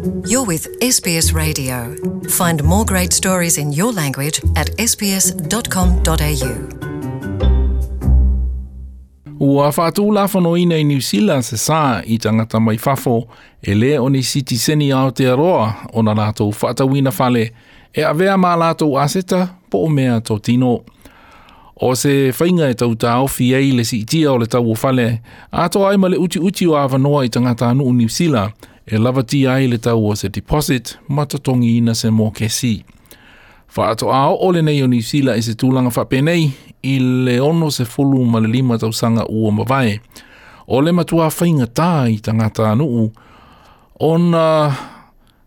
You're with SBS Radio. Find more great stories in your language at sbs.com.au. Ua whaatūlafonoina i Niu Sila se sā i tangata mai fafo e le o ni sitiseni Aotearoa o na lātou whaatauina fale e avea ma lātou aseta po o mea tōtino. O se whainga e tau tāofi ei le siitia o le tau o fale, atoa ai ma le uti uti o awanoa i tangata anu Niu Sila e lavatia ai le tau o se deposit ma totongi ina se mōkesi. Whaato a o le nei o Niu Sila i se tūlanga whapenei i le 65 tausaga ua mavae. O le matua whainga tā i tangata anuu ona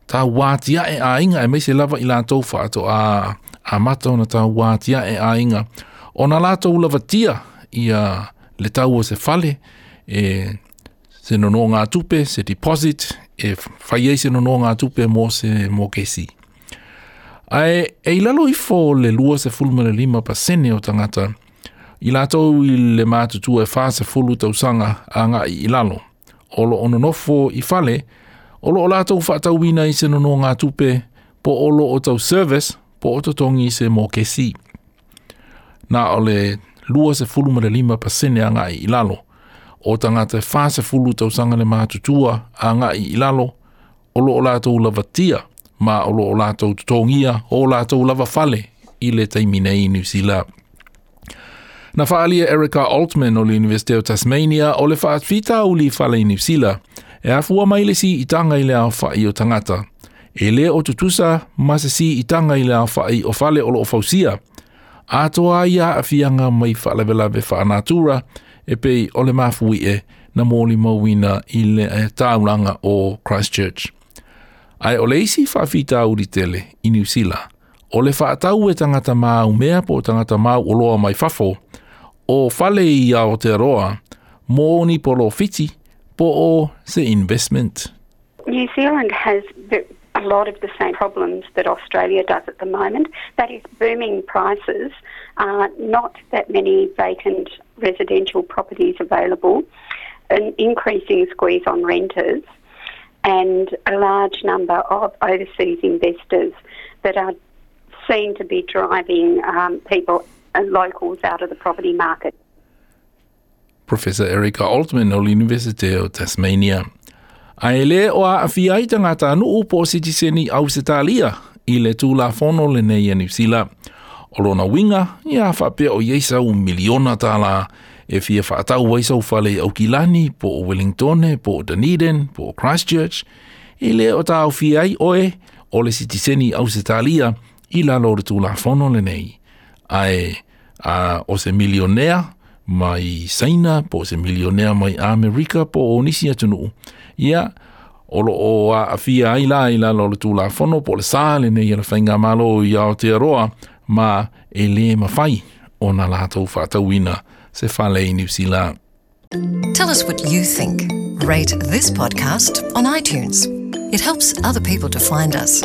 tā wātia e āinga e meise lava i lātou whaato a, a mata ona tā wātia e āinga. Ona lātou lavatia i a le tau o se fale e se nono ngā tupe, se deposit, e whai ai se nono ngā tupe mō se mōkesi. Ae, e i lalo ifo le 25% o tangata, i lātou i le mātutua e 40 tausaga a ngā i lalo. O lo ono nofo i fale, o lo o lātou whaatauina i se nono ngā tupe, po o lo o tau service, po o totongi se mōkesi. Nā o le 25% a ngā i lalo. O tangata e 40 tausaga le mātutua a ngā i lalo, o lo o lātou lavatia, ma o lo o lātou tutongia, o lātou lava fale i le taimi nei i New Zealand. Na whaalia Erica Altman o le University of Tasmania o le whaatwhita uli fale i New Zealand e afua mai le si i tanga i le ao whai o tangata. E le o tutusa ma se si i tanga i le ao whai o fale o lo o fausia. Atoa ia a whianga mai whaalavelave wha natura e pei o le mafui e na mōli mauina i le e tāulanga o Christchurch. Ai o le isi whaafita uri tele i New Zealand, o le whaatau e tangata mau mea po tangata mau o loa mai fafo, o fale i Aotearoa, mō ni polo whiti, po o se investment. New Zealand has a lot of the same problems that Australia does at the moment. That is booming prices, not that many vacant residential properties available, an increasing squeeze on renters, and a large number of overseas investors that are seen to be driving people and locals out of the property market. Professor Erica Altman o le University o Tasmania. A e le o a awhia ai tangata anu po sitiseni au se tālia i le tūla fono le nei a New Zealand. O lona winga, ia whapea o ieisa u miliona tāla e fia whaatau ai sau fale i Aukilani, po o Wellingtone, po o Dunedin, po o Christchurch, e le o tā au ai oe o le sitiseni au se tālia i lalo o le tūla fono le nei. Ae a, o se milionea mai Saina, po o se milionea mai Amerika, po o nisi atunuu. Ia, o lo o a awhia ai la i lalo o le tūlafono, po o le sā le nei a le whainga malo i Aotearoa, ma e le mawhai o nā lātou whaatauina se fale i New Zealand. Tell us what you think. Rate this podcast on iTunes. It helps other people to find us.